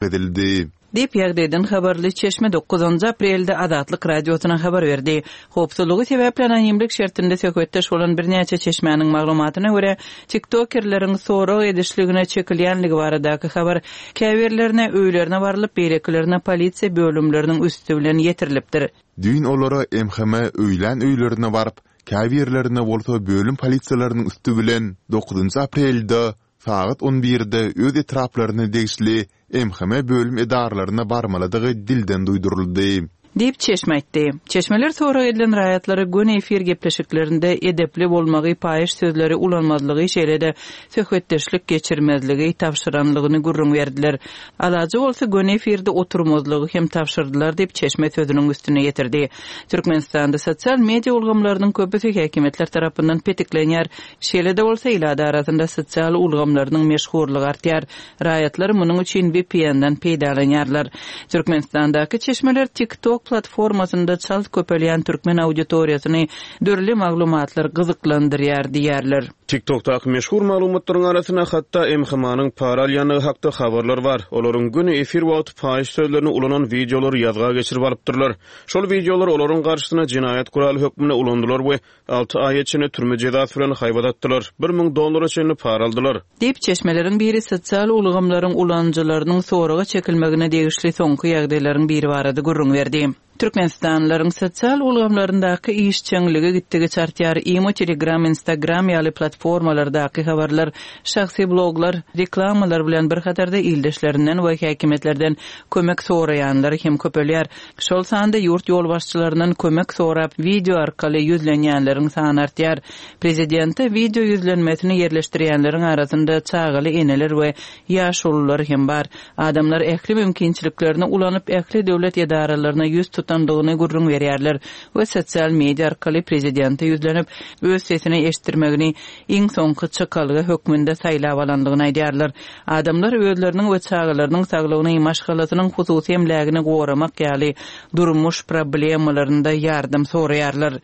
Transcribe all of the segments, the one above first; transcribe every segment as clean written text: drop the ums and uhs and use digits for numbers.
Edildi. Diýip, ýagdaýdan habarly çeşme dokuzynjy aprelde Azatlyk Radiosyna habar berdi. Howpsuzlygy sebäpli anonimlik şertinde söhbetdeş bolan birnäçe çeşmäniň maglumatyna görä, tiktokerleriň sorag edişligine çekilýänligi baradaky habar käbirlerine öýlerine barlyp, beýlekilerine polisiýa bölümleriniň üsti bilen ýetirilipdir. Düýn olara MHM öýlän öýlerine baryp, käbirlerine bolsa bölüm polisiýalarynyň üsti bilen dokuzynjy aprelde Sagat on birde öz etraplaryna degişli MHM bölüm edaralaryna barmalydygy dilden duýduryldy. Diýip, çeşme aýtdy. Çeşmeler sorag edilen raýatlara göni efir gepleşiklerinde edepli bolmagy, paýyş sözleri ulanmazlygy, şeýle-de söhbetdeşlik geçirmezligi tabşyranlygyny gürrüň berdiler. Alajy bolsa göni efirde oturmazlygy hem tabşyrdylar diýip, çeşme sözüniň üstüni ýetirdi. Türkmenistanda sosial media ulgamlarynyň köpüsi häkimiýetler tarapyndan petiklenýär. Şeýle-de bolsa, ilat arasynda sosial ulgamlarynyň meşhurlygy artýar. Raýatlar munuň üçin VPN-den peýdalanýarlar. Türkmenistandaky çeşmeler TikTok platformasynda çalt köpelýän türkmen auditoriýasyny dürli maglumatlar gyzyklandyrýar diýýärler. TikTok-daky meşhur maglumatlaryň arasynda hatda MHM-nyň para alýandygy hakda habarlar bar. Olaryň göni efir wagty paýyş sözlerini ulanan wideolary ýazga geçirip alypdyrlar. Şol wideolar olaryň garşysyna jenaýat guraly hökmünde ulandylar we Alty aýa çenli türme jezasy bilen haýbat atdylar, 1000 dollara çenli para aldylar. Diýip, çeşmeleriň biri sosial ulgamlaryň ulanyjylarynyň soraga çekilmegine degişli soňky ýagdaýlaryň biri barada gürrüň berdi. Türkmenistanlylaryň sosial ulgamlaryndaky işjeňligi gitdigiçe artýar, Imo, Telegram, Instagram ýaly platformalardaky habarlar, şahsy bloglar, reklamalar bilen bir hatarda ildeşlerinden we häkimiýetlerden kömek soraýanlar hem köpelýär. Şol sanda ýurt ýolbaşçylaryndan kömek sorap wideo arkaly ýüzlenýänleriň sany artýar. Prezidente wideo ýüzlenmesini ýerleşdirýänleriň arasynda çagaly eneler we ýaşulular hem bar. Adamlar ähli mümkinçiliklerini ulanyp ähli döwlet edaralaryna ýüz tutandygyny gürrüň berýärler we sosial media arkaly prezidente ýüzlenip öz sesini eşitdirmegini iň soňky çykalga hökmünde saýlap alandygyny aýdýarlar. Adamlar özleriniň we çagalarynyň saglygyny, maşgalasynyň hususy emlägini goramak ýaly durmuş problemalarynda ýardam soraýarlar.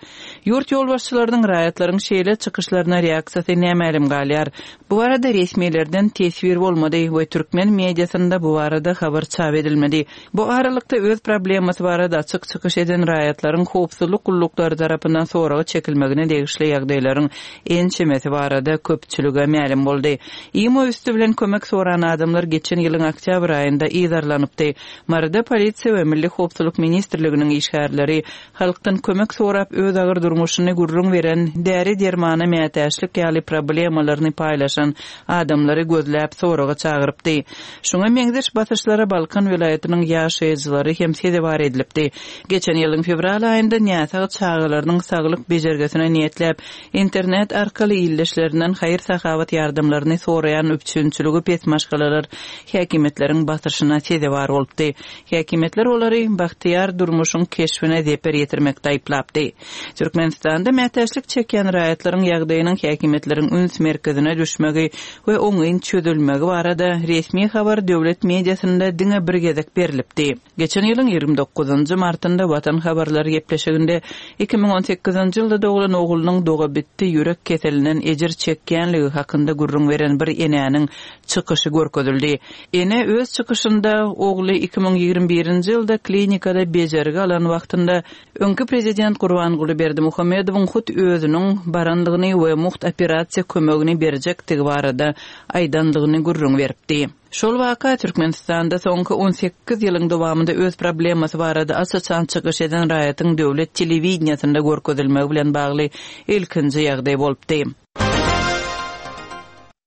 Ýurt ýolbaşçylarynyň raýatlaryň şeýle çykyşlaryna reaksiýasy nämälim galýar. Bu barada resmilerden teswir bolmady we türkmen mediasynda bu barada habar çap edilmedi. Bu aralykda öz problemasy barada açyk çykyş eden raýatlaryň howpsuzlyk gulluklary tarapyndan soraga çekilmegine degişli ýagdaýlaryň ençemesi barada köpçülige mälim boldy. Imo üsti bilen kömek soran adamlar geçen ýylyň oktýabr aýynda yzarlanypdy. Maryda polisiýa we Milli howpsuzlyk ministrliginiň işgärleri halkdan kömek sorap öz agyr durmuşyny gürrüň beren, däri-dermana mätäçlik ýaly problemalaryny paýlaşan adamlary gözläp soraga çagyrypdy. Şuňa meňzeş basyşlara Balkan welaýatynyň ýaşaýjylary hem sezewar edilipdi. Geçen ýylyň fewral aýynda näsag çagalarynyň saglyk bejergisine niýetläp, internet arkaly ildeşlerinden haýyr-sahawat ýardamlaryny soraýan üpjünçiligi pes maşgalalar häkimiýetleriň basyşyna sezewar bolupdy. Häkimiýetler olary bagtyýar durmuşyň keşbine zeper ýetirmekde aýyplapdy. Türkmenistanda mätäçlik çekýän raýatlaryň ýagdaýynyň häkimiýetleriň üns merkezine düşmegi we oňyn çözülmegi barada resmi habar döwlet mediasynda diňe bir gezek berlipdi. Geçen ýylyň 29 martynda Watan habarlary gepleşiginde 2018-nji ýylda doglan oglunyň dogabitdi ýürek keselinden ejir çekýänligi hakynda gürrüň beren bir enäniň çykyşy görkezildi. Ene öz çykyşynda ogly 2021-nji ýylda klinikada bejergi alan wagtynda öňki prezident Gurbanguly Berdimuhamedowyň hut özüniň barandygyny we mugt operasiýa kömegini berjekdigi barada aýdandygyny gürrüň beripdi. Şol waka Türkmenistanda soňky 18 ýylyň dowamynda öz problemasy barada aç-açan çykyş eden raýatyň döwlet telewideniýesinde görkezilmegi bilen bagly ilkinji ýagdaý bolupdy.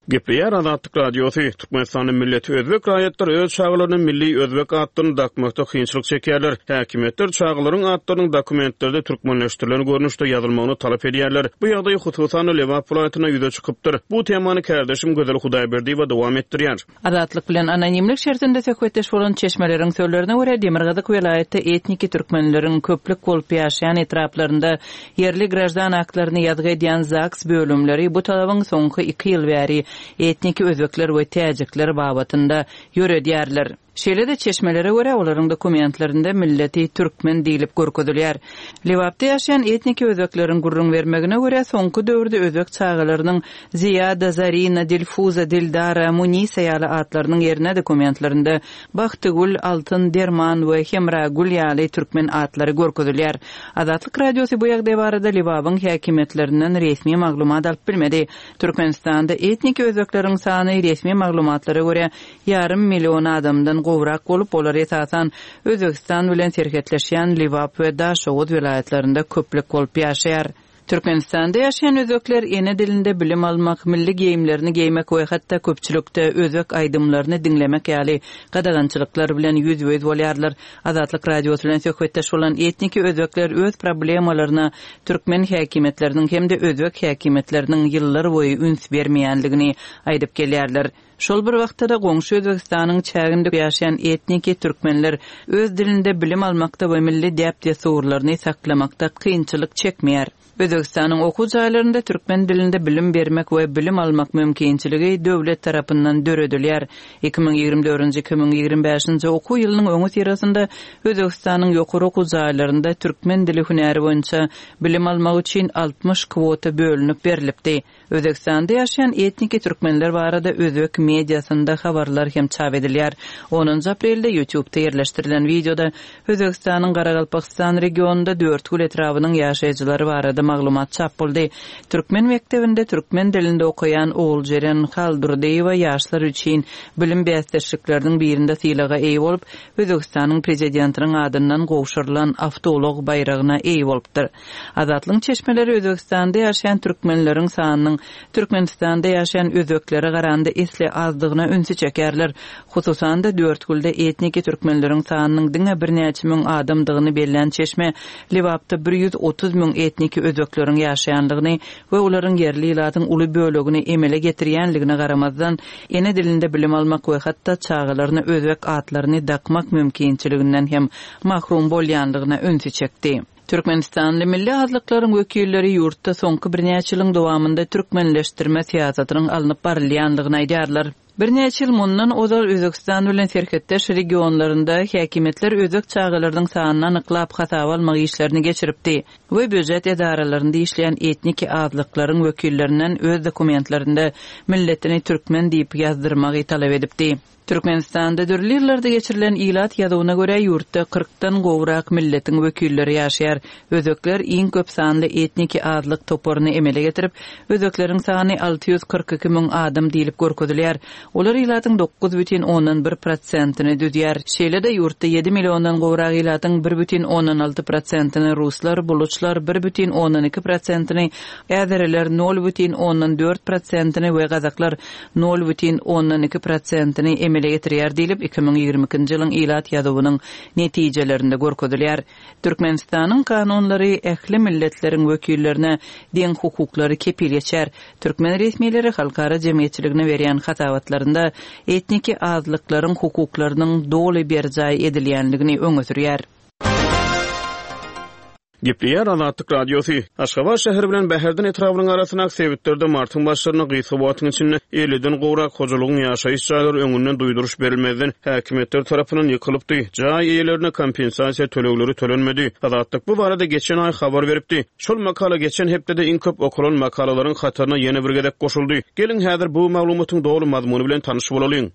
Gepleýär Azatlyk Radiosy, Türkmenistanda milleti özbek raýatlar öz çagalaryna milli özbek atlaryny dakmakda kynçylyk çekýärler. Häkimiýetler çagalaryň atlarynyň dokumentlerde türkmenleşdirilen görnüşde ýazylmagyny talap edýärler. Bu ýagdaý hususan-da Lebap welaýatynda ýüze çykypdyr. Bu temany kärdeşim Gözel Hudaýberdiýewa dowam etdirýär. Azatlyk bilen anonimlik şertinde söhbetdeş bolan çeşmeleriň sözlerine görä, demirgazyk welaýatda etniki türkmenleriň köplük bolup ýaşaýan etraplarynda ýerli graždan aktlaryny ýazgy edýän ZAGS bölümleri bu talabyň soňky iki ýyl bäri etniki özbekler we täjikler babatynda ýöredýärler. Şeýle-de, çeşmelere görä, olaryň dokumentlerinde milleti türkmen diýlip görkezilýär. Lebapda ýaşaýan etniki özbekleriň gürrüň bermegine görä, soňky döwürde özbek çagalarynyň Ziýada, Zarina, Dilfuza, Dildara, Munisa ýaly atlarynyň ýerine dokumentlerinde Bagtygül, Altyn, Derman we Hemragül ýaly türkmen atlary görkezilýär. Azatlyk Radiosy bu ýagdaý barada Lebabyň häkimiýetlerinden resmi maglumat alyp bilmedi. Türkmenistanda etniki özbekleriň sany resmi maglumatlara görä ýarym million adamdan gowrak bolup, olar esasan Özbegistan bilen serhetleşýän Lebap we Daşoguz welaýatlarynda köplük bolup ýaşaýar. Türkmenistanda ýaşaýan özbekler ene dilinde bilim almak, milli geýimlerini geýmek we hatda köpçülikde özbek aýdymlaryny diňlemek ýaly gadagançylyklar bilen ýüzbe-ýüz bolýarlar. Azatlyk Radiosy bilen söhbetdeş bolan etniki özbekler öz problemalaryna türkmen häkimiýetleriniň hem-de özbek häkimiýetleriniň ýyllarboýy üns bermeýändigini aýdyp gelýärler. Şol bir wagtda-da goňşy Özbegistanyň çäginde ýaşaýan etniki türkmenler öz dilinde bilim almakda we milli däp-dessurlaryny saklamakda kynçylyk çekmeýär. Özbegistanyň okuw jaýlarynda türkmen dilinde bilim bermek we bilim almak mümkinçiligi döwlet tarapyndan döredilýär. 2024-nji, 2025-nji okuw ýylynyň öňüsyrasynda Özbegistanyň ýokary okuw jaýlarynda türkmen dili hünäri boýunça bilim almak üçin 60 kwota bölünip berlipdi. Özbegistanda ýaşaýan etniki türkmenler barada özbek mediasynda habarlar hem çap edilýär. Onunjy aprelde YouTube-da ýerleşdirilen wideoda Özbegistanyň Garagalpagystan regionynda Dörtgül etrabynyň ýaşaýjylary barada maglumat çap boldy. Türkmen mekdebinde türkmen dilinde okaýan Oguljeren Haldurdyýewa ýaşlar üçin bilim bäsdeşlikleriniň birinde sylaga eýe bolup, Özbegistanyň Prezidentiniň adyndan gowşurylan awtoulag baýragyna eýe bolupdyr. Azatlygyň çeşmeleri Özbegistanda ýaşaýan türkmenleriň sanynyň Türkmenistanda ýaşaýan özbeklere garanda esli azdygyna ünsi çekýärler. Hususan-da, Dörtgülde etniki türkmenleriň sanynyň diňe birnäçe müň adamdygyny bellän çeşme Lebapda 130 müň etniki özbekleriň ýaşaýandygyny we olaryň ýerli ilatyň uly bölegini emele getirýänligine garamazdan, ene dilinde bilim almak we hatda çagalaryna özbek atlaryny dakmak mümkinçiliginden hem mahrum bolýandygyna ünsi çekdi. Türkmenistanly milli azlyklaryň wekilleri ýurtda soňky birnäçe ýylyň dowamynda türkmenleşdirme syýasatynyň alnyp barylýandygyny aýdýarlar. Birnäçe ýyl mundan ozal Özbegistan bilen serhetdeş regionlarynda häkimiýetler özbek çagalarynyň sanyny anyklap hasaba almak işlerini geçiripdi we býujet edaralarynda işleýän etniki azlyklaryň wekillerinden öz dokumentlerinde milletini türkmen diýip ýazdyrmagy talap edipdi. Türkmenistanda dürli ýyllarda geçirilen ilat ýazuwyna görä, ýurtda kyrkdan gowrak milletiň wekilleri ýaşaýar. Özbekler iň köp sanly etniki azlyk toparyny emele getirip, özbekleriň sany 642 müň adam diýlip görkezilýär. Olar ilatyň 9,1 prosentini düzýär. Şeýle-de, ýurtda ýedi milliondan gowrak ilatyň 1,6 prosentini ruslar, buluçlar, 1,2 prosentini äzeriler, 0,4 prosentini we gazaklar 0,2 prosentini emele getirýär diýlip, 2022-nji ýylyň ilat ýazuwynyň netijelerinde görkezilýär. Türkmenistanyň kanunlary ähli milletleriň wekillerine deň hukuklary kepil geçýär. Türkmen resmileri halkara jemgyýetçiligine berýän hasabatlarynda etniki azlyklaryň hukuklarynyň doly berjaý edilýänligini öňe sürýär. Gepleýär Azatlyk Radiosy. Aşgabat şäheri bilen Bäherden etrabynyň arasyndaky sebitlerde martyň başlarynda gysga wagtyň içinde elliden gowrak hojalygyň ýaşaýyş jaýlary öňünden duýduryş berilmezden häkimiýetler tarapyndan ýykylypdy, jaý eýelerine kompensasiýa tölegleri tölenmedi. Azatlyk bu barada geçen aý habar beripdi. Şol makala geçen hepdede iň köp okalan makalalaryň hataryna ýene bir gezek goşuldy. Geliň, häzir bu maglumatyň doly mazmuny bilen tanyş bolalyň.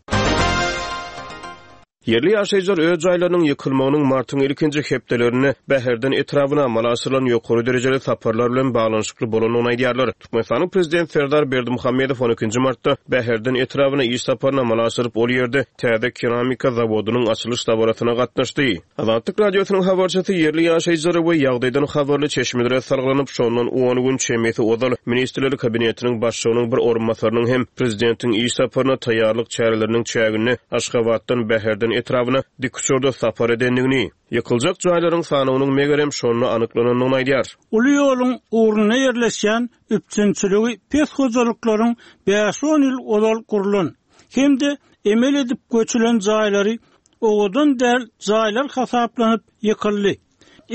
Ýerli ýaşaýjylar öz jaýlarynyň ýykylmagynyň martyň ilkinji hepdelerinde Bäherden etrabyna amala aşyrylan ýokary derejeli saparlar bilen baglanyşykly bolandygyny aýdýarlar. Türkmenistanyň Prezidenti Serdar Berdimuhamedow on ikinji martda Bäherden etrabyna iş saparyny amala aşyryp, ol ýerde täze keramika zawodynyň açylyş dabarasyna gatnaşdy. Azatlyk Radiosynyň habarçysy ýerli ýaşaýjylara we ýagdaýdan habarly çeşmelere salgylanyp, şondan on gün çemesi ozal Ministrler Kabinetiniň Başlygynyň bir orunbasarynyň hem prezidentiň iş saparyna taýýarlyk çäreleriniň çäginde Aşgabatdan Bäherden etrabyna dikuçarda sapar edendigini, ýykyljak jaýlaryň sanawynyň megerem şonda anyklanandygyny aýdýar. Uly ýoluň ugrunda ýerleşýän üpjünçiligi pes hojalyklaryň bäş-on ýyl ozal gurlan hem-de emel edip göçülen jaýlary owadan däl jaýlar hasaplanyp ýykyldy.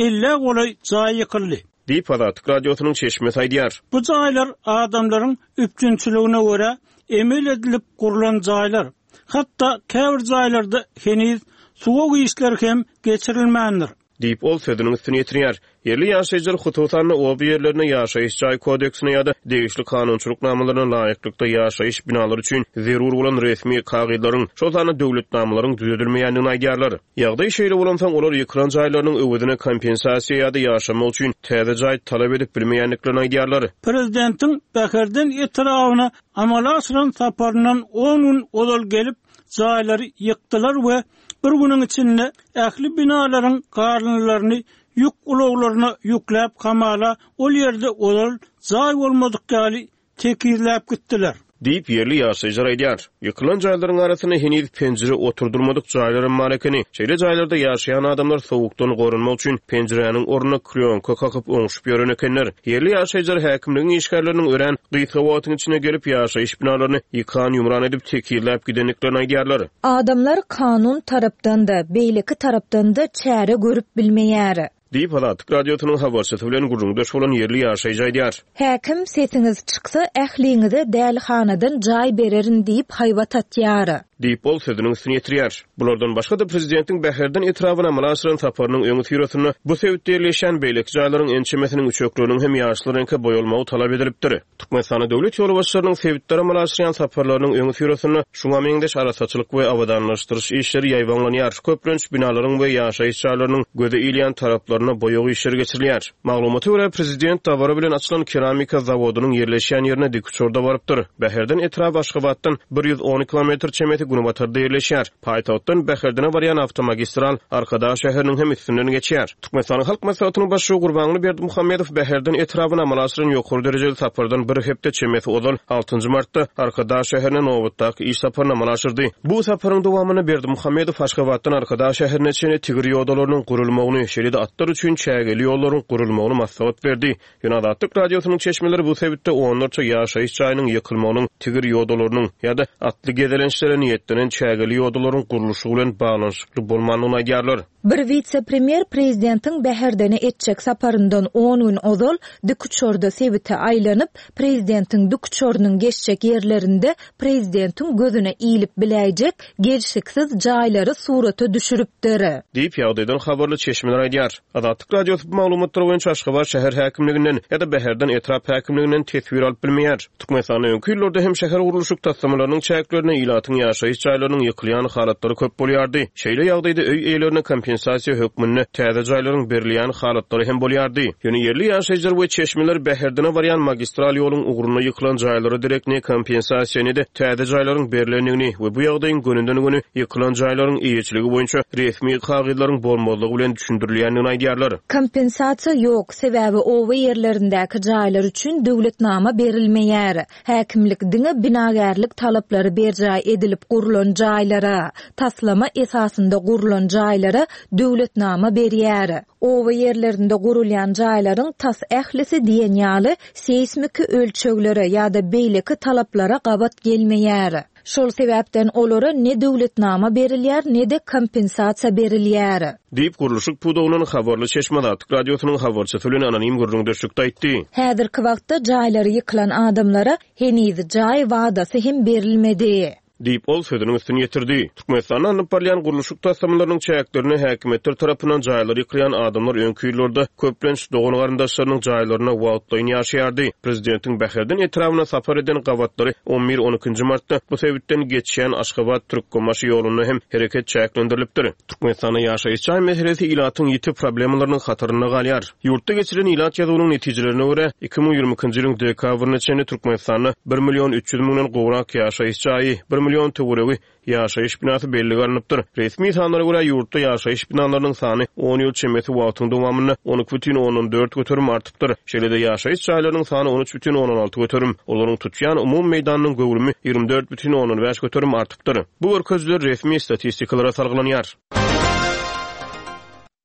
Ellä golaý jaý ýykyldy. Diýip, Azatlyk Radiosynyň çeşmesi aýdýar. Bu jaýlar adamlaryň üpjünçiligine görä emel edilip gurlan jaýlar. Hatda käbir jaýlarda heniz suwag işleri hem geçirilmändir. Diýip, ol sözüniň üstüni ýetirýär. Ýerli ýaşaýjylar, hususan-da, oba ýerlerinde ýaşaýyş jaý kodeksine ýa-da degişli kanunçylyk namalaryna laýyklykda ýaşaýyş binalary üçin zerur bolan resmi kagyzlaryň, şol sanda döwletnamalaryň düzedilmeýändigini aýdýarlar. Ýagdaý şeýle bolansoň, olar ýykylan jaýlarynyň öwezine kompensasiýa ýa-da ýaşamak üçin täze jaý talap edip bilmeýändiklerini aýdýarlar. Prezidentiň Bäherden etrabyna amala aşyran saparyndan on gün ozal gelip, jaýlary ýykdylar we bir günüň içinde ähli binalaryň galyndylaryny ýük ulaglaryna ýükläp hamala ol ýerde ozal jaý bolmadyk ýaly tekizläp gitdiler. Diýip, ýerli ýaşaýjylar aýdýar. Ýykylan jaýlaryň arasynda heniz penjire oturdylmadyk jaýlaram bar ekeni. Şeýle jaýlarda ýaşaýan adamlar sowukdan goranmak üçin penjiräniň ornuna klýonka kakyp oňşup ýören ekenler. Ýerli ýaşaýjylar häkimligiň işgärleriniň örän gysga wagtyň içinde gelip, ýaşaýyş binalaryny ýykan-ýumran edip tekizläp gidendiklerini aýdýarlar. Adamlar kanun tarapdan-da, beýleki tarapdan-da çäre görüp bilmeýär. Diýip, Azatlyk Radiosynyň habarçysy bilen gürrüňdeş bolan ýerli ýaşaýjy aýdýar. Häkim, Sesiňiz çyksa, ähliňize dälihanadan jaý bererin diýip haýbat atýar. Diýip, ol sözüniň üstüni ýetirýär. Bulardan başga-da, prezidentiň Bäherden etrabyna amala aşyran saparynyň öňüsyrasynda bu sebitde ýerleşýän beýleki jaýlaryň ençemesiniň üçekleriniň hem ýaşyl reňke boýalmagy talap edilipdir. Türkmenistanda döwlet ýolbaşçylarynyň sebitlere amala aşyrýan saparlarynyň öňüsyrasynda şuňa meňzeş arassaçylyk we abadanlaşdyryş işleri ýaýbaňlanýar, köplenç binalaryň we ýaşaýyş jaýlarynyň göze ilýän taraplarynda boýag işleri geçirilýär. Maglumata görä, prezident dabara bilen açylan keramika zawodynyň ýerleşýän ýerine dikuçarda barypdyr. Bäherden etraby Aşgabatdan 110 kilometr çemesi günbatarda ýerleşýär. Paýtagtdan Bäherdene barýan awtomagistral Arkadag şäheriniň hem üstünden geçýär. Türkmenistanyň Halk Maslahatynyň Başlygy Gurbanguly Berdimuhamedow Bäherden etrabyna amala aşyran ýokary derejeli sapardan bir hepde çemesi ozal, altynjy martda Arkadag şäherine nobatdaky iş saparyny amala aşyrdy. Bu saparyň dowamynda Berdimuhamedow Aşgabatdan Arkadag şäherine çenli tigir ýodalarynyň gurulmagyny, şeýle-de atlar üçin çägeli ýollaryň gurulmagyny maslahat berdi. Ýöne Azatlyk Radiosynyň çeşmeleri bu sebitde onlarça ýaşaýyş jaýynyň ýykylmagynyň tigir ýodalarynyň ýa-da atly gezelençlere niýetlenen çägeli ýodalaryň gurluşygy bilen baglanyşykly bolmandygyny aýdýarlar. Bir wise-premýer prezidentiň Bäherdene etjek saparyndan on gün ozal dikuçarda sebite aýlanyp, prezidentiň dikuçarynyň geçjek ýerlerinde prezidentiň gözüne ilip biläýjek gelşiksiz jaýlary surata düşüripdir. Diýip, ýagdaýdan habarly çeşmeler aýdýar. Azatlyk Radiosy bu maglumatlar boýunça Aşgabat şäher häkimliginden ýa-da Bäherden etrap häkimliginden teswir alyp bilmeýär. Türkmenistanda öňki ýyllarda hem şähergurluşyk taslamalarynyň çäklerinde ilatyň ýaşaýyş jaýlarynyň ýykylýan halatlary köp bolýardy. Şeýle ýagdaýda öý eýelerine kompensasiýa hökmünde täze jaýlaryň berilýän halatlary hem bolýardy. Ýöne ýerli ýaşaýjylar we çeşmeler Bäherdene barýan magistral ýoluň ugrunda ýykylan jaýlara derek ne kompensasiýa, ne-de täze jaýlaryň berlendigini we bu ýagdaýyň gönüden-göni ýykylan jaýlaryň eýeçiligi boýunça resmi kagyzlaryň bolmazlygy bilen düşündirilýändigini aýdýarlar. Kompensasiýa ýok, sebäbi oba ýerlerindäki jaýlar üçin döwletnama berilmeýär. Häkimlik diňe binagärlik talaplary berjaý edilip gurlan jaýlara, taslama esasynda gurlan jaýlara döwletnama berýär. Oba ýerlerinde gurulýan jaýlaryň tas ählisi diýen ýaly seýsmiki ölçeglere ýa-da beýleki talaplara gabat gelmeýär. Şol sebäpden olara ne döwletnama berilýär, ne-de kompensasiýa berilýär. Diýip, gurluşyk pudagyndan habarly çeşme Azatlyk Radiosynyň habarçysy bilen anonim gürrüňdeşlikde aýtdy. Häzirki wagtda jaýlary ýykylan adamlara heniz jaý wadasy hem berilmedi. Diýip, ol sözüniň üstüni ýetirdi. Türkmenistanda alnyp barylýan gurluşyk taslamalarynyň çäklerinde häkimiýetler tarapyndan jaýlary ýykylýan adamlar öňki ýyllarda köplenç dogan-garyndaşlarynyň jaýlarynda wagtlaýyn ýaşaýardy. Prezidentiň Bäherden etrabyna sapar eden gabatlary on bir, on ikinji martda bu sebitden geçýän Aşgabat, Türkmenbaşy ýolunda hem hereket çäklendirilipdir. Türkmenistanda ýaşaýyş jaý meselesi ilatyň ýiti problemalarynyň hatarynda galýar. Ýurtda geçirilen ilat ýazuwynyň netijelerine görä, 2022-nji ýylyň dekabryna çenli Türkmenistanda bir million 300 müňden gowrak ýaşaýyş jaýy, bir million töweregi ýaşaýyş binasy bellige alnypdyr. Resmi sanlara görä, ýurtda ýaşaýyş binalarynyň sany on ýyl çemesi wagtyň dowamynda 12,4 göterim artypdyr. Şeýle-de ýaşaýyş jaýlarynyň sany 13,6 göterim, olaryň tutýan umumy meýdanynyň göwrümi 24,5 göterim artypdyr. Bu görkezijiler resmi statistikalara salgylanýar.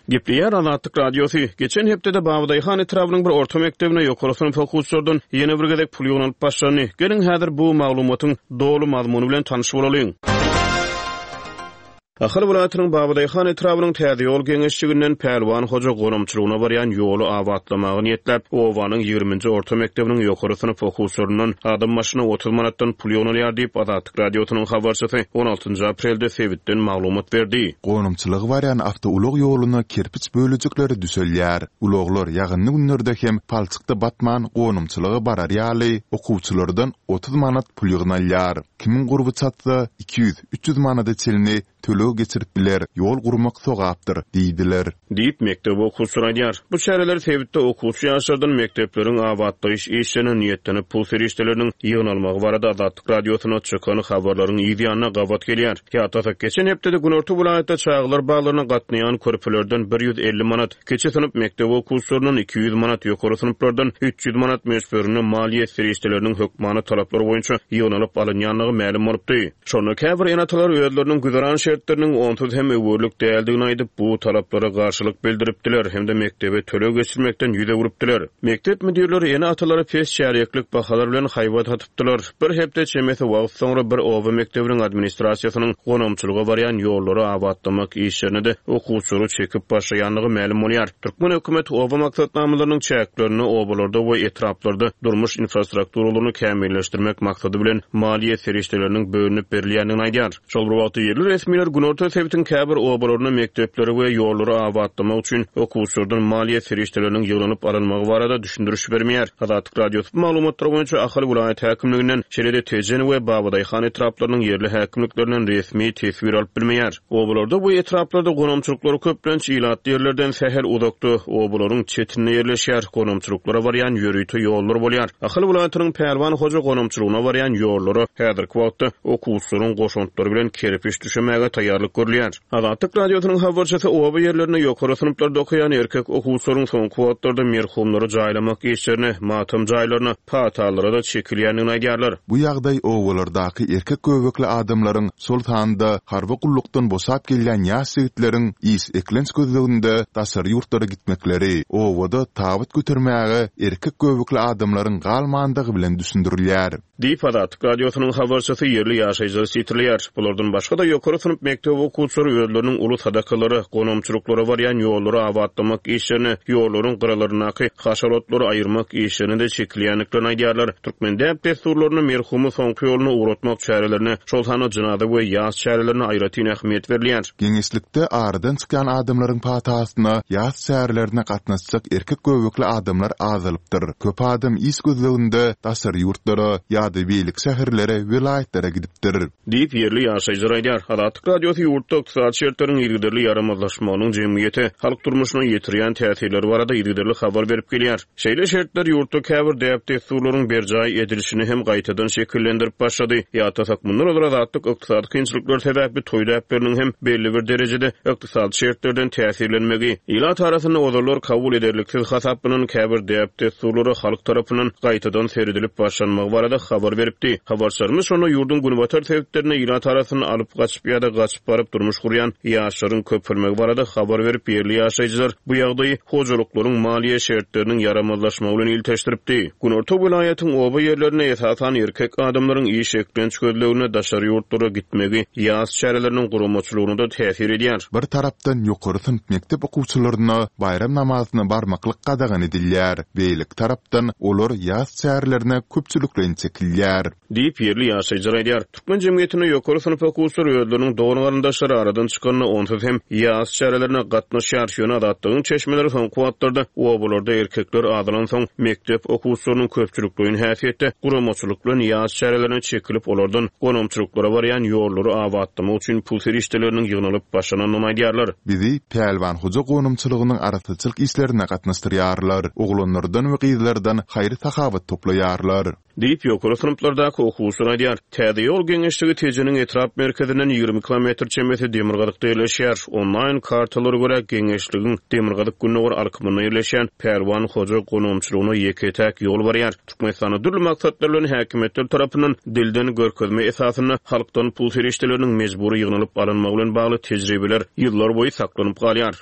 Gepleýär Azatlyk Radiosy, Geçen hepdede Babadaýhan etrabynyň bir orta mekdebine ýokary synp okuwçylardan ýene bir gezek pul ýygnalyp başlandy. Geliň, häzir bu maglumatyň doly mazmuny bilen tanyş bolalyň. Ahal welaýatynyň Babadaýhan etrabynyň Täzeýol geňeşliginden Pälwan hoja gonamçylygyna barýan ýoly abatlamaga niýetläp, obanyň ýigriminji orta mekdebiniň ýokary synp okuwçylaryndan adam başyna 30 manatdan pul ýygnalýar diýip, Azatlyk Radiosynyň habarçysy on altynjy aprelde sebitden maglumat berdi. Gonamçylyga barýan awtoulag ýoluna kerpiç bölejikleri düşelýär. Ulaglar ýagynly günlerde hem palçykda batman gonamçylyga barar ýaly, okuwçylardan 30 manat pul ýygnalýar. Kimiň gurby çatsa, 200, 300 manada çenli töleg geçirip biler, ýol gurmak sogapdyr diýdiler. Diýip, mekdep okuwçylary aýdýar. Bu çäreler sebitde okuwçy ýaşlardan mekdepleriň abatlaýyş işlerine niýetlenip pul serişdeleriniň ýygnalmagy barada Azatlyk Radiosyna çykan habarlaryň yz ýanyna gabat gelýär. Ýatlasak, geçen hepdede günorta welaýatda çagalar baglaryna gatnaýan körpelerden 150 manat, Kiçi synp mekdep okuwçylaryndan 200 manat, ýokary synplardan 300 manat möçberinde maliýe serişdeleriniň hökmany talaplar boýunça ýygnalyp alynýandygy mälim bolupdy. Şonda käbir ene-atalar özleriniň güzeran şertleriniň onsuz hem öwerlik däldigini aýdyp, bu talaplara garşylyk bildiripdiler hem-de mekdebe töleg geçirmekden ýüz öwrüpdiler. Mekdep müdirleri ene-atalara pes çärýeklik bahalar bilen haýbat atypdylar. Bir hepde çemesi wagt soňra bir oba mekdebiniň administrasiýasynyň gonamçylyga barýan ýollary abatlamak işlerine-de okuwçylary çekip başlaýandygy mälim bolýar. Türkmen hökümeti oba maksatnamalarynyň çäklerinde obalarda we etraplarda durmuş infrastrukturalaryny kämilleşdirmek maksady bilen maliýe serişdeleriniň bölünip berilýändigini aýdýar. Şol bir wagtda, ýerli resmiler günorta sebitiň käbir obalarynda mekdepleri we ýollary abatlamak üçin okuwçylardan maliýe serişdeleriniň ýygnanyp alynmagy barada düşündiriş bermeýär. Azatlyk Radiosy bu maglumatlar boýunça Ahal welaýat häkimliginden, şeýle-de Tejen we Babadaýhan etraplarynyň ýerli häkimliklerinden resmi teswir alyp bilmeýär. Obalarda we etraplarda gonamçylyklar köplenç ilatly ýerlerden sähel uzakda, obalaryň çetinde ýerleşýär. Gonamçylyklara barýan ýörite ýollar bolýar. Ahal welaýatynyň Pälwan hoja gonamçylygyna barýan ýollara häzirki wagtda okuwçylaryň goşantlary bilen kerpiç düşemäge taýýarlyk görülýär. Azatlyk Radiosynyň habarçysy oba ýerlerinde ýokary synplarda okaýan erkek okuwçylaryň soňky wagtlarda merhumlary jaýlamak işlerine, matam jaýlaryna, patalara-da çekilýändigini aýdýarlar. Bu ýagdaý obalardaky erkek göbekli adamlaryň, şol sanda harby gullukdan boşap gelýän ýaş ýigitleriň iş-eklenç gözleginde daşary ýurtlara gitmekleri, obada tabyt götermäge erkek göbekli adamlaryň galmandygy bilen düşündirilýär. Diýip, Azatlyk Radiosynyň habarçysy ýerli ýaşaýjylary sitirleýär. Bulardan başga-da, ýokary synp mekdep okuwçylary özleriniň uly sadakalara, gonamçylyklara barýan ýollary abatlamak işlerine, ýollaryň gyralaryndaky haşal otlary aýyrmak işlerine-de çekilýändiklerini aýdýarlar. Türkmen däp-dessurlarynda merhumy soňky ýoluna ugratmak çärelerine, şol sanda jynaza we ýas çärelerine aýratyn ähmiýet berilýär. Geňeşlikde aradan çykýan adamlaryň patasyna ýas çärelerine gatnaşjak erkek göbekli adamlar azalypdyr. Köp adam iş gözleginde daşary ýurtlara ýa-da beýleki şäherlere, welaýatlara gidipdir. Diýip, ýerli ýaşaýjylar aýdýar. Azatlyk Radiosy ýurtda ykdysady şertleriň yzygiderli ýaramazlaşmagynyň jemgyýete, halk durmuşyna ýetirýän täsirleri barada yzygiderli habar berip gelýär. Şeýle şertler ýurtda käbir däp-dessurlaryň berjaý edilişini hem gaýtadan şekillendirip başlady. Ýatlasak, mundan ozal Azatlyk ykdysady kynçylyklar sebäpli toý däpleriniň hem belli bir derejede ykdysady şertlerden täsirlenmegi, ilat arasynda ozallar kabul ederliksiz hasaplanan käbir däp-dessurlara halk tarapyndan gaýtadan seredilip başlanmagy barada habar beripdi. Habarçylarymyz şonda ýurduň günbatar sebitlerinde ilat arasynda alyp gaçyp ýa-da gaçyp baryp durmuş gurýan ýaşlaryň köpelmegi barada habar berip, ýerli ýaşaýjylar bu ýagdaýy hojalyklaryň maliýe şertleriniň ýaramazlaşmagy bilen ilteşdiripdi. Günorta welaýatyň oba ýerlerinde esasan erkek adamlaryň iş eklenç gözleginde daşary ýurtlara gitmegi ýas çäreleriniň guramaçylygyna-da täsir edýär. Bir tarapdan ýokary synp mekdep okuwçylaryna baýram namazyna barmaklyk gadagan edilýär, beýleki tarapdan olar ýas çärelerine köpçülikleýin çekilýär. Diýip, ýerli ýaşaýjylar aýdýar. Türkmen jemgyýetinde ýokary synp okuwçylary özleriniň dogan-garyndaşlary aradan çykanda onsuz hem ýas çärelerine gatnaşýar. Ýöne Azatlygyň çeşmeleri soňky wagtlarda obalarda erkekler azalansoň, mekdep okuwçylarynyň köpçülikleýin häsiýetde guramaçylyk bilen ýas çärelerine çekilip, olardan gonamçylyklara barýan ýollary abatlamak üçin pul serişdeleriniň ýygnalyp başlanandygyny aýdýarlar. Bizi Pälwan hoja gonamçylygynyň arassaçylyk işlerine gatnaşdyrýarlar. Oglanlardan we gyzlardan haýyr-sahawat toplaýarlar. Diýip, ýokary synplardaky okuwçylar aýdýar. Täze ýol geňeşligi Tejeniň etrap merkezinden 20 kilometr çemesi demirgazykda ýerleşýär. Onlaýn kartalara görä, geňeşligiň demirgazyk-gündogar alkymynda ýerleşýän Pälwan hoja gonamçylygyna ýeke-täk ýol barýar. Türkmenistanda dürli maksatlar bilen häkimiýetler tarapyndan dilden görkezme esasynda halkdan pul serişdeleriniň mejbury ýygnalyp alynmagy bilen bagly tejribeler ýyllarboýy saklanyp galýar.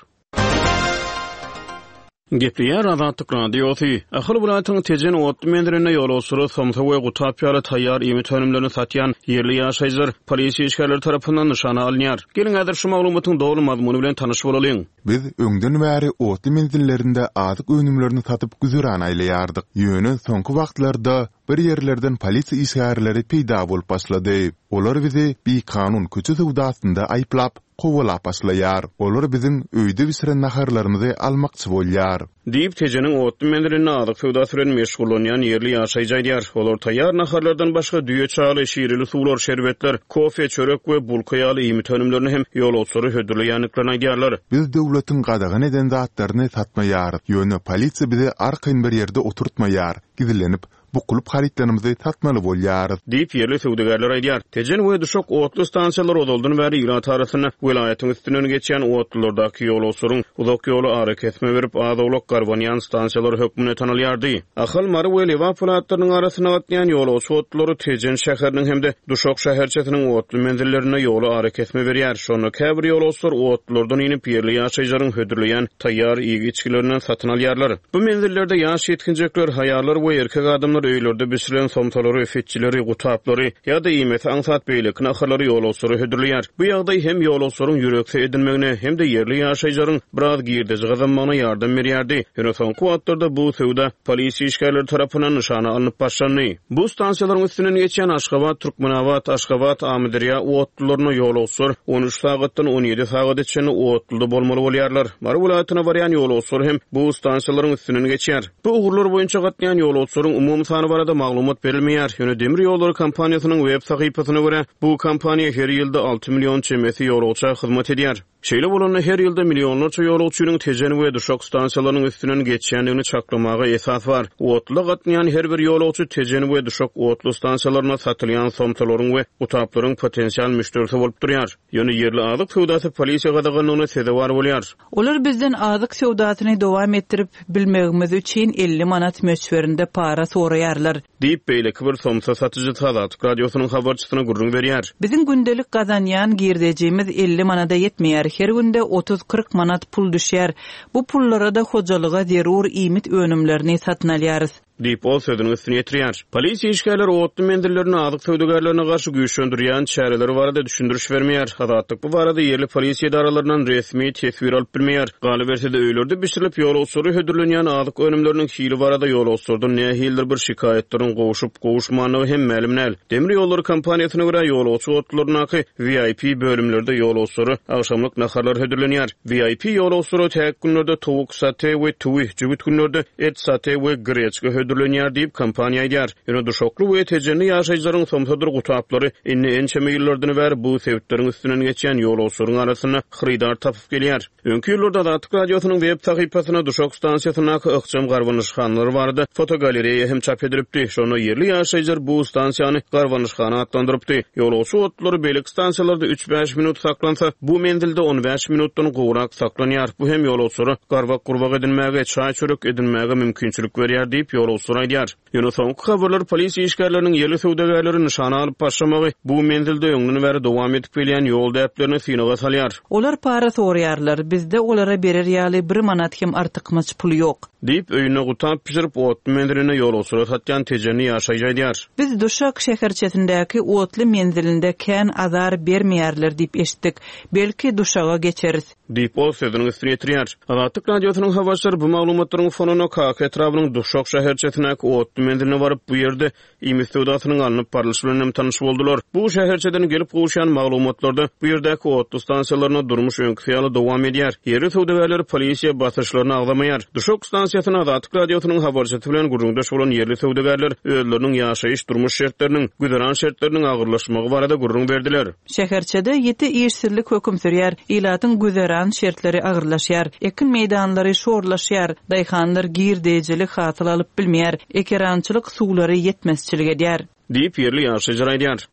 Gepleýär Azatlyk Radiosy. Ahal welaýatynyň Tejen otly menzilinde ýolagçylara somsa we gutap ýaly taýýar iýmit önümlerini satýan ýerli ýaşaýjylar polisiýa işgärleri tarapyndan nyşana alynýar. Geliň häzir şu maglumatyň doly mazmuny bilen tanyş bolalyň. Biz öňden bäri otly menzillerinde azyk önümlerini satyp güzeran aýlaýardyk. Ýöne soňky wagtlarda bir ýerlerden polisiýa işgärleri peýda bolup başlady. Olar bizi bikanun köçe söwdasynda aýyplap, kowalap başlaýar. Olar biziň öýde bişiren naharlarymyzy almakçy bolýar. Diýip, Tejeniň otly menzilinde azyk söwdasy bilen meşgullanýan ýerli ýaşaýjy aýdýar. Olar taýýar naharlardan başga düýe çaly, şireli suwlar, şerbetler, kofe, çörek we bulka ýaly iýmit önümlerini hem ýolagçylara hödürleýändiklerini aýdýarlar. Biz döwletiň gadagan eden zatlaryny satmaýarys. Ýöne polisiýa bizi arkaýyn bir ýerde oturtmaýar, gizlenip, bukulyp harytlarymyzy satmaly bolýarys. Diýip, ýerli söwdagärler aýdýar. Tejen we Duşak otly stansiýalary ozaldan bäri ilat arasynda welaýatyň üstünden geçýän otlulardaky ýolagçylaryň uzak ýola arakesme berip, az-owlak garbanýan stansiýalary hökmünde tanalýardy. Ahal, Mary we Lebap welaýatlarynyň arasynda gatnaýan ýolagçy otlulary Tejen şäheriniň hem-de Duşak şäherçesiniň otly menzillerinde ýola arakesme berýär. Şonda käbir ýolagçylar otlulardan inip, ýerli ýaşaýjylaryň hödürleýän taýýar iýgi-içgilerinden satyn alýarlar. Bu menzillerde ýaş ýetginjekler, aýallar we erkek adamlar öýlerde bişirilen somsalary, fitjileri, gutaplary ýa-da iýmesi aňsat beýleki naharlary ýolagçylara hödürleýär. Bu ýagdaý hem ýolagçylaryň ýürekse edinmegine, hem-de ýerli ýaşaýjylaryň biraz girdeji gazanmagyna ýardam berýärdi. Ýöne soňky wagtlarda bu söwda polisiýa işgärleri tarapyndan nyşana alnyp başlandy. Bu stansiýalaryň üstünden geçýän Aşgabat, Türkmenabat, Aşgabat, Amyderýa otlularynda ýolagçylar 13 sagatdan 17 sagada çenli otluda bolmaly bolýarlar. Mary welaýatyna barýan ýolagçylar hem bu stansiýalaryň üstünden geçýär. Bu ugurlar boýunça gatnaýan ýolagçylaryň umumy sany barada maglumat berilmeýär. Ýöne demir ýollary kompaniýasynyň web sahypasyna görä, bu kompaniýa her ýylda 6 million çemesi ýolagça hyzmat edýär. Şeýle bolanda, her ýylda millionlarça ýolagçynyň Tejen we Duşak stansiýalarynyň üstünden geçýändigini çaklamaga esas bar. Otluda gatnaýan her bir ýolagçy Tejen we Duşak otly stansiýalarynda satylýan somsalaryň we gutaplaryň potensial müşderisi bolup durýar. Ýöne ýerli azyk söwdasy polisiýa gadaganlygyna sezewar bolýar. Olar bizden azyk söwdasyny dowam etdirip bilmegimiz üçin 50 manat möçberinde para soraýarlar. Diýip, beýleki bir somsa satyjysy Azatlyk Radiosynyň habarçysyna gürrüň berýär. Biziň gündelik gazanýan girdejimiz 50 manada ýetmeýär. Her günde otuz-kyrk manat pul düşýär. Bu pullara-da hojalyga zerur iýmit önümlerini satyn alýarys. Diýip, ol sözüniň üstüni ýetirýär. Polisiýa işgärleri otly menzillerinde azyk söwdagärlerine garşy güýçlendirýän çäreleri barada düşündiriş bermeýär. Azatlyk bu barada ýerli polisiýa edaralaryndan resmi teswir alyp bilmeýär. Galyberse-de, öýlerde bişirilip, ýolagçylara hödürlenýän azyk önümleriniň hili barada ýolagçylardan nähilidir bir şikaýatlaryň gowşup-gowuşmandygy hem mälim däl. Demir ýollary kompaniýasyna görä, ýolagçy otlularyndaky VIP bölümlerde ýolagçylara agşamlyk naharlar hödürlenýär. VIP ýolagçylara täk günlerde towuk sote we tüwi, jübüt günlerde et sote we greçka hödürlenýär diýip, kompaniýa aýdýar. Ýöne duşakly we tejenli ýaşaýjylaryň somsadyr gutaplary indi ençeme ýyllardan bäri bu sebitleriň üstünden geçýän ýolagçylaryň arasynda hyrydar tapyp gelýär. Öňki ýyllarda Azatlyk Radiosynyň web sahypasynda Duşak stansiýasyndaky ykjam garbanyşhanalar barada fotogalereýa hem çap edilipdi. Şonda ýerli ýaşaýjylar bu stansiýany garbanyşhana atlandyrypdy. Ýolagçy otlulary beýleki stansiýalarda üç-bäş minut saklansa, bu menzilde on bäş minutdan gowrak saklanýar. Bu hem ýolagçylara garbak-gurbak edinmäge, çaý-çörek edinmäge mümkinçilik berýär diýip, ýolagçylar aýdýar. Ýöne soňky habarlar polisiýa işgärleriniň ýerli söwdagärleri nyşana alyp başlamagy bu menzilde öňden bäri dowam edip gelýän ýol däplerini synaga salýar. Olar para soraýarlar, bizde olara berer ýaly bir manat hem artykmaç pul ýok. Diýip, öýünde gutap bişirip, otly menzilinde ýolagçylara satýan tejenli ýaşaýjy aýdýar. Biz Duşak şäherçesindäki otly menzilinde kän azar bermeýärler diýip eşitdik. Belki, Duşaga geçeris. Diýip, ol sözüniň üstüni ýetirýär. Azatlyk Radiosynyň habarçylary bu maglumatlaryň fonunda Kaka etrabynyň Duşak şäherçesindäki otly menziline baryp, bu ýerde iýmit söwdasynyň alnyp barlyşy bilen hem tanyş boldular. Bu şäherçeden gelip gowuşýan maglumatlarda bu ýerdäki otly stansiýalarynda durmuş öňküsi ýaly dowam edýär. Ýerli söwdagärler polisiýa basyşlaryny agzamaýar. Duşak stansiýasynda Azatlyk Radiosynyň habarçysy bilen gürrüňdeş bolan ýerli söwdagärler özleriniň ýaşaýyş-durmuş şertleriniň, güzeran şertleriniň agyrlaşmagy barada gürrüň berdiler. Şäherçede ýiti işsizlik höküm sürýär, ilatyň güzeran şertleri agyrlaşýar, ekin meýdanlary şorlaşýar, daýhanlar girdeýjilik hasyl alyp bilmeýär, ekerançylyk suwlary ýetmezçilik edýär. Diýip, ýerli ýaşaýjylar aýdýar.